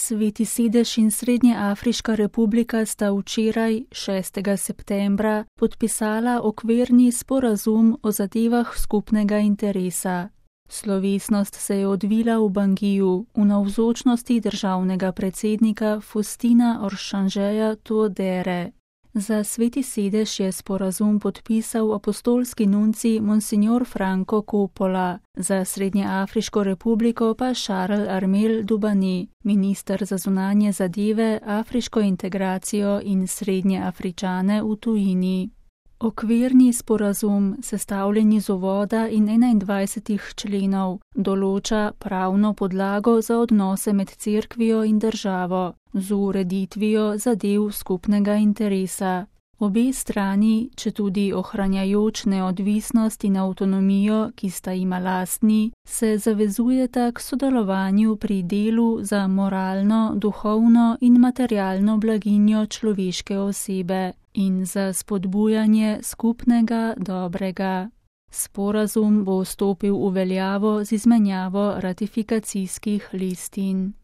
Sveti sedež in Srednjeafriška republika sta včeraj, 6. septembra, podpisala okvirni sporazum o zadevah skupnega interesa. Slovesnost se je odvila v Bangiju v navzočnosti državnega predsednika Faustina Archangeja Touadére. Za Sveti sedež je sporazum podpisal apostolski nuncij Monsignor Franco Coppola, za Srednjeafriško republiko pa Charles Armel Dubani, minister za zunanje zadeve, afriško integracijo in Srednjeafričane v tujini. Okvirni sporazum, sestavljen iz uvoda in 21 členov, določa pravno podlago za odnose med cerkvijo in državo, z ureditvijo zadev skupnega interesa. Obe strani, četudi ohranjajoč neodvisnost in avtonomijo, ki sta jima lastni, se zavezujeta k sodelovanju pri delu za moralno, duhovno in materialno blaginjo človeške osebe in za spodbujanje skupnega dobrega. Sporazum bo stopil v veljavo z izmenjavo ratifikacijskih listin.